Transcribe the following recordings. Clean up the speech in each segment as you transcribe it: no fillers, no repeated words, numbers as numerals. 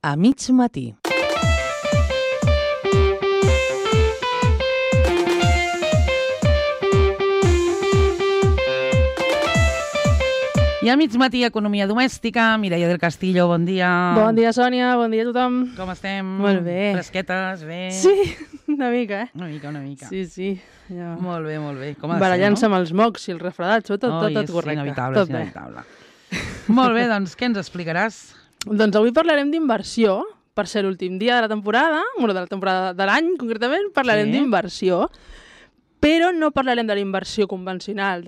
a mig matí. I a mig matí, economia domèstica. Mireia del Castillo, bon dia. Bon dia, Sònia, bon dia a tothom. Com estem? Molt bé. Fresquetes, bé? Sí, una mica, eh? Una mica. Sí. Ja. Molt bé. Com ha de barallant-se ser, no? amb els mocs i el refredat, tot correcte. Inevitable, tot bé. Molt bé, doncs què ens explicaràs? Doncs avui parlarem d'inversió. Per ser l'últim dia de la temporada, de l'any concretament, parlarem d'inversió. Però no parlarem de la inversió convencional,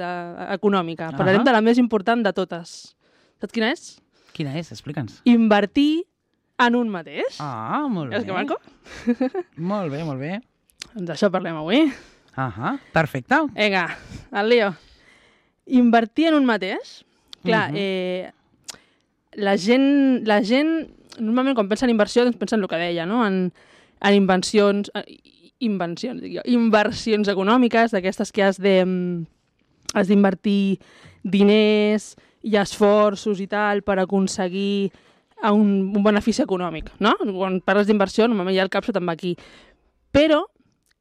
econòmica. Parlarem de la més important de totes. Saps quina és? Quina és? Explica'ns. Invertir en un mateix. Ah, molt bé. És que maco? Molt bé. Doncs d'això parlem avui. Perfecte. Vinga, al lío. Invertir en un mateix. Clar, la gent normalment quan pensa en inversió doncs pensa en el que deia, no? En inversions econòmiques, d'aquestes que has d'invertir diners i esforços i tal per aconseguir un benefici econòmic, no? Quan parles d'inversió, normalment ja el cap se te'n va aquí. Però,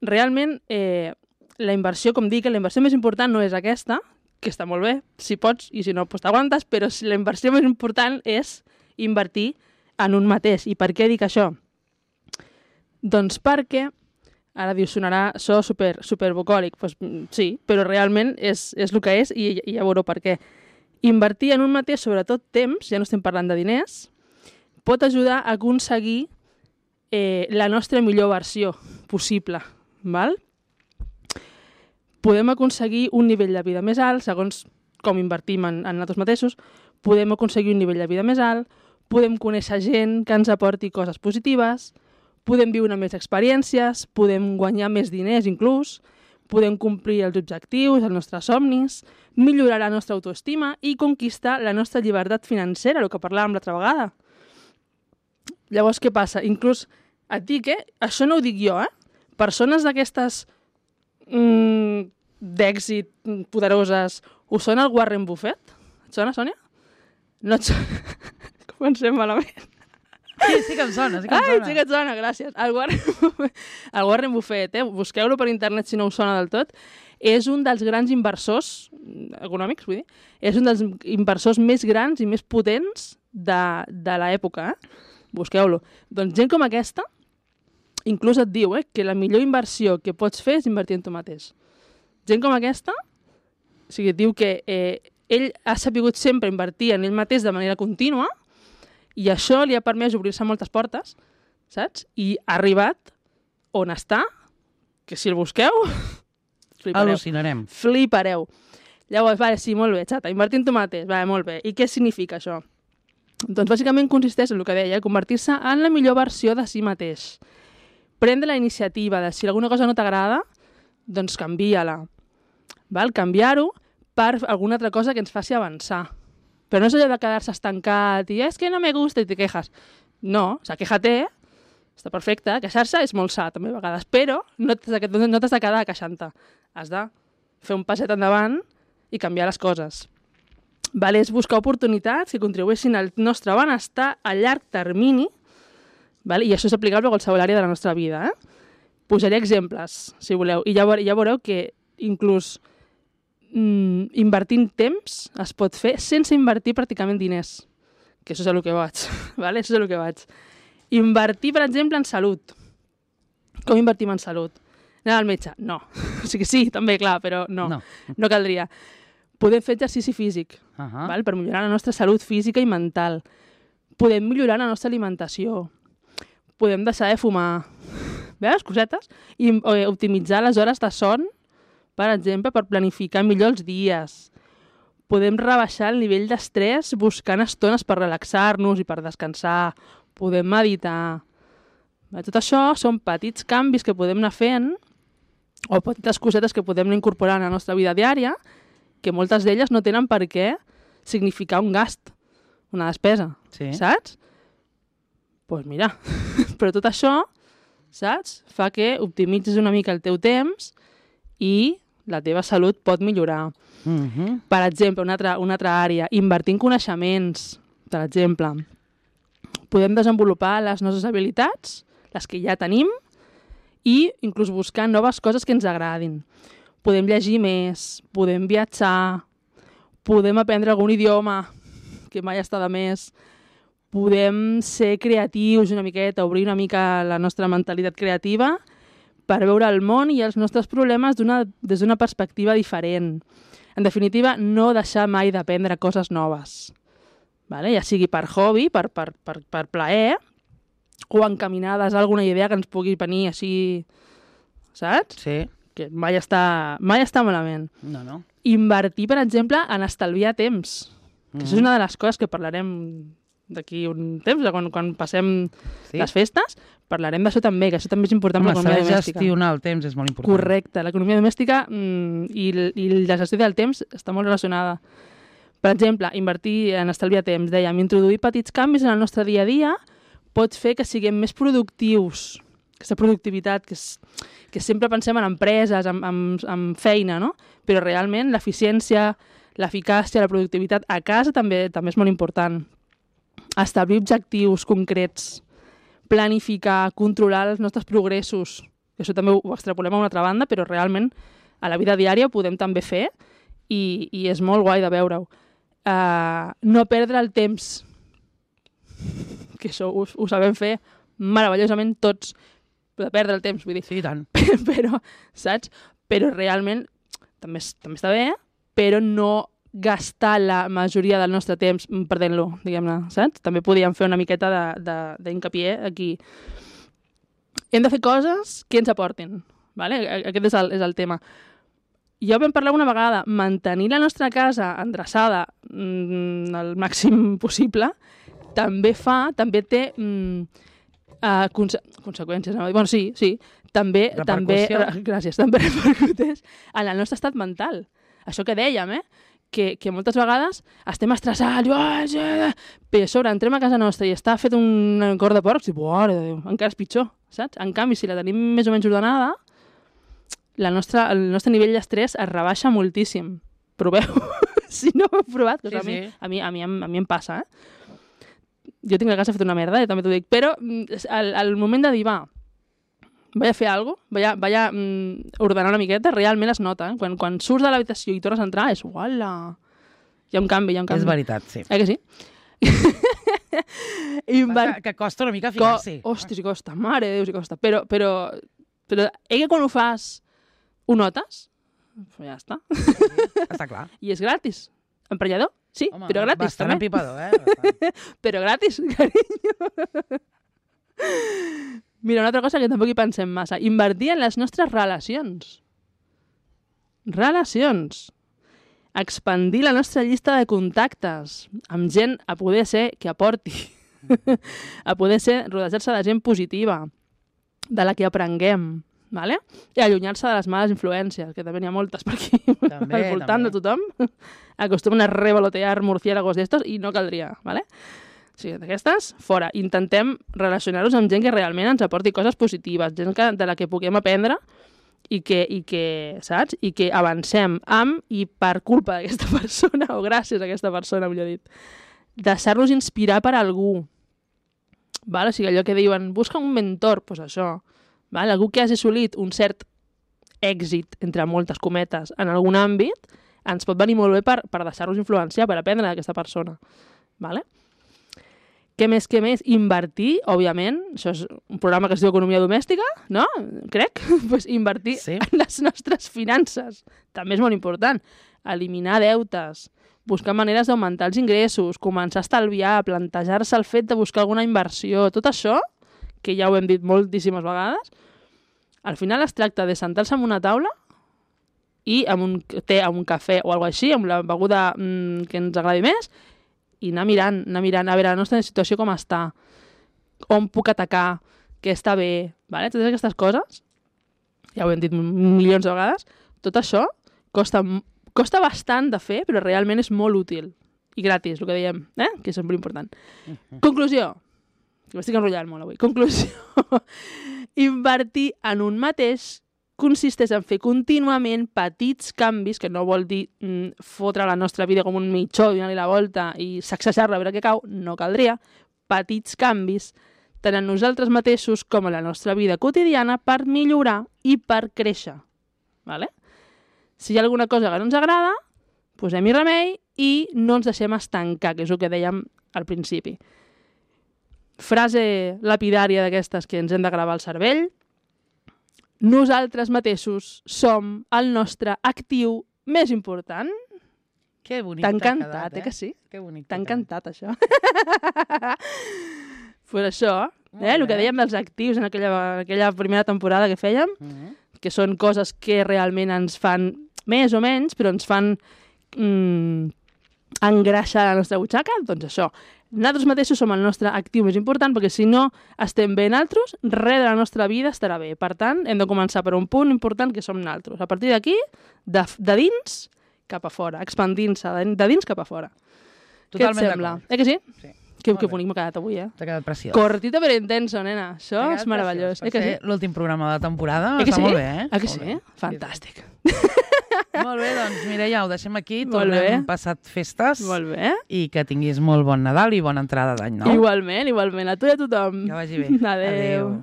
realment, la inversió, com dic, la inversió més important no és aquesta, que està molt bé, si pots, i si no, doncs t'aguantes, però la inversió més important és invertir en un mateix. I per què dic això? Doncs perquè ara dius, sonarà so super bucòlic. Pues, sí, però realment és el que és i ja veureu per què. Invertir en un mateix, sobretot temps, ja no estem parlant de diners, pot ajudar a aconseguir la nostra millor versió possible. Val? Podem aconseguir un nivell de vida més alt, segons com invertim en nosaltres mateixos, podem aconseguir un nivell de vida més alt, podem conèixer gent que ens aporti coses positives, podem viure més experiències, podem guanyar més diners inclús, podem complir els objectius, els nostres somnis, millorar la nostra autoestima i conquistar la nostra llibertat financera, el que parlàvem l'altra vegada. Llavors, què passa? Inclús et dic, això no ho dic jo, persones d'aquestes d'èxit poderoses, us sona el Warren Buffett? Et sona, Sònia? No et sona? Comencem malament. Sí que em sona. Sí que et sona, gràcies. El Warren Buffett, busqueu-lo per internet si no us sona del tot, és un dels grans inversors econòmics, vull dir, és un dels inversors més grans i més potents de l'època. Busqueu-lo. Doncs gent com aquesta, inclús et diu que la millor inversió que pots fer és invertir en tu mateix. Gent com aquesta, o sigui, diu que ell ha sabut sempre invertir en ell mateix de manera contínua i això li ha permès obrir-se moltes portes, saps? I ha arribat on està, que si el busqueu, al·lucinarem. Flipareu. Llavors, vale, sí, molt bé, xata, invertir en tu mateix, vale, molt bé. I què significa això? Doncs bàsicament consisteix en el que deia, convertir-se en la millor versió de si mateix. Prendre la iniciativa de si alguna cosa no t'agrada, doncs canvia-la. Canviar-ho per alguna altra cosa que ens faci avançar. Però no és allò de quedar-se estancat i és que no me gusta i te quejas. No, o sigui, queja-te, està perfecte, queixar-se és molt sa també a vegades, però no t'has de quedar queixant-te. Has de fer un passet endavant i canviar les coses. És buscar oportunitats que contribueixin al nostre benestar a llarg termini, i això és aplicable a qualsevol àrea de la nostra vida. Posaré exemples, si voleu, i ja veureu que inclús invertint temps es pot fer sense invertir pràcticament diners, que això és el que vaig. Això és el que vaig. Invertir, per exemple, en salut. Com invertim en salut? Anar al metge? No. O sigui, sí, també, clar, però no caldria. Podem fer exercici físic, per millorar la nostra salut física i mental. Podem millorar la nostra alimentació. Podem deixar de fumar. Veus, cosetes? I optimitzar les hores de son, per exemple, per planificar millor els dies. Podem rebaixar el nivell d'estrès buscant estones per relaxar-nos i per descansar. Podem meditar. Tot això són petits canvis que podem anar fent o petites cosetes que podem incorporar en la nostra vida diària que moltes d'elles no tenen per què significar un gast, una despesa, saps? Doncs mira, però tot això, saps? Fa que optimitzis una mica el teu temps i la teva salut pot millorar. Per exemple, una altra àrea, invertir en coneixements, per exemple. podem desenvolupar les nostres habilitats, les que ja tenim, i inclús buscar noves coses que ens agradin. Podem llegir més, podem viatjar, podem aprendre algun idioma, que mai està de més, podem ser creatius una miqueta, obrir una mica la nostra mentalitat creativa per veure el món i els nostres problemes des d'una perspectiva diferent. En definitiva, no deixar mai d'aprendre coses noves. Vale? Ja sigui per hobby, per plaer, o encaminades a alguna idea que ens pugui venir així, saps? Sí. Que mai està malament. No. Invertir, per exemple, en estalviar temps. Que això és una de les coses que parlarem d'aquí un temps, quan passem les festes, parlarem d'això també, que això també és important per l'economia domèstica. Saber gestionar el temps és molt important. Correcte, l'economia domèstica i la gestió del temps està molt relacionada. Per exemple, invertir en estalviar temps, dèiem, introduir petits canvis en el nostre dia a dia pot fer que siguem més productius. Aquesta productivitat, que sempre pensem en empreses, en feina, no? Però realment l'eficiència, l'eficàcia, la productivitat a casa també és molt important. Establir objectius concrets, planificar, controlar els nostres progressos. Això també ho extrapolem a una altra banda, però realment a la vida diària ho podem també fer i és molt guai de veure-ho. No perdre el temps, que això ho sabem fer meravellosament tots, de perdre el temps, vull dir. Sí, tant. Però, saps? Però realment també està bé, però no gastar la majoria del nostre temps perdent-lo, diguem-ne, saps? També podíem fer una miqueta d'incapié aquí. Hem de fer coses que ens aportin, ¿vale? Aquest és el tema. Ja ho vam parlar una vegada, mantenir la nostra casa endreçada el màxim possible també té conseqüències. Bueno, sí, també repercuteix en el nostre estat mental. Això que dèiem, que moltes vegades estem estressats, però a sobre entrem a casa nostra i està fet un cor de porcs i encara és pitjor, saps? En canvi, si la tenim més o menys ordenada, el nostre nivell d'estrès es rebaixa moltíssim. Proveu, si no ho heu provat, que sí. A mi em passa, Jo tinc la casa feta una merda, també t'ho dic, però al moment de dir, vaig a fer alguna cosa, vaig a ordenar una miqueta, realment es nota. Quan surts de l'habitació i tornes a entrar, és uala! Hi ha un canvi. És veritat, sí. Que sí? Que costa una mica ficar-s'hi. Hòstia, si costa, mare de Déu, si costa. Però que quan ho fas ho notes, ja està. Està clar. I és gratis. Emprenyador? Sí, home, però gratis. Bastant empipador, Bastant. Però gratis, carinyo. Mira, una altra cosa que tampoc hi pensem massa. Invertir en les nostres relacions. Expandir la nostra llista de contactes amb gent a poder ser que aporti. A poder ser rodejar-se de gent positiva, de la que aprenguem. Vale? I allunyar-se de les males influències, que també n'hi ha moltes per aquí, al voltant de tothom. Acostumen a revolotear murciélagos d'estos i no caldria, ¿vale? O sigui, d'aquestes, fora. Intentem relacionar-nos amb gent que realment ens aporti coses positives, gent de la que puguem aprendre i que, saps? I que avancem amb i per culpa d'aquesta persona, o gràcies a aquesta persona, millor dit. Deixar-nos inspirar per algú. Vale? O sigui, allò que diuen, busca un mentor, doncs això. Vale? Algú que hagi assolit un cert èxit, entre moltes cometes, en algun àmbit, ens pot venir molt bé per deixar-nos influenciar, per aprendre d'aquesta persona. Vale? Què més? Invertir, òbviament, això és un programa que es diu Economia Domèstica, no? Crec? Pues invertir en les nostres finances. També és molt important. Eliminar deutes, buscar maneres d'augmentar els ingressos, començar a estalviar, plantejar-se el fet de buscar alguna inversió, tot això, que ja ho hem dit moltíssimes vegades, al final es tracta de sentar-se en una taula i amb un té, amb un cafè o alguna cosa així, amb la beguda que ens agradi més, i anar mirant, a veure la nostra situació com està, on puc atacar, què està bé, vale? Totes aquestes coses, ja ho hem dit milions de vegades, tot això costa bastant de fer, però realment és molt útil. I gratis, el que dèiem, que és molt important. Conclusió. M'estic enrotllant molt avui. Conclusió. Invertir en un mateix consisteix en fer contínuament petits canvis, que no vol dir fotre la nostra vida com un mitjó, donar-li la volta i sacsejar-la a veure què cau, no caldria, petits canvis tant en nosaltres mateixos com en la nostra vida quotidiana per millorar i per créixer. Vale? Si hi ha alguna cosa que no ens agrada, posem-hi remei i no ens deixem estancar, que és el que dèiem al principi. Frase lapidària d'aquestes que ens hem de gravar al cervell. Nosaltres mateixos som el nostre actiu més important. Que bonic t'ha t'ha encantat, quedat, que sí? Que bonic T'ha t'ha encantat, això. Per això, el que dèiem dels actius en aquella primera temporada que fèiem, que són coses que realment ens fan, més o menys, però ens fan engreixar la nostra butxaca, doncs això. Nosaltres mateixos som el nostre actiu més important, perquè si no estem bé nosaltres, res de la nostra vida estarà bé. Per tant, hem de començar per un punt important que som nosaltres. A partir d'aquí, de dins cap a fora, expandint-se de dins cap a fora. Totalment què et sembla? d'acord. Que sí? Sí. Que bonic m'ha quedat avui, T'ha quedat preciós. Cortito però intenso, nena. Això és meravellós. Per ser l'últim programa de la temporada que està sí? molt bé, eh? Que sí? Fantàstic. Molt bé, doncs Mireia, ho deixem aquí. Molt bé. Tornem passat festes. Molt bé. I que tinguis molt bon Nadal i bona entrada d'any nou. Igualment. A tu i a tothom. Que vagi bé. Adéu.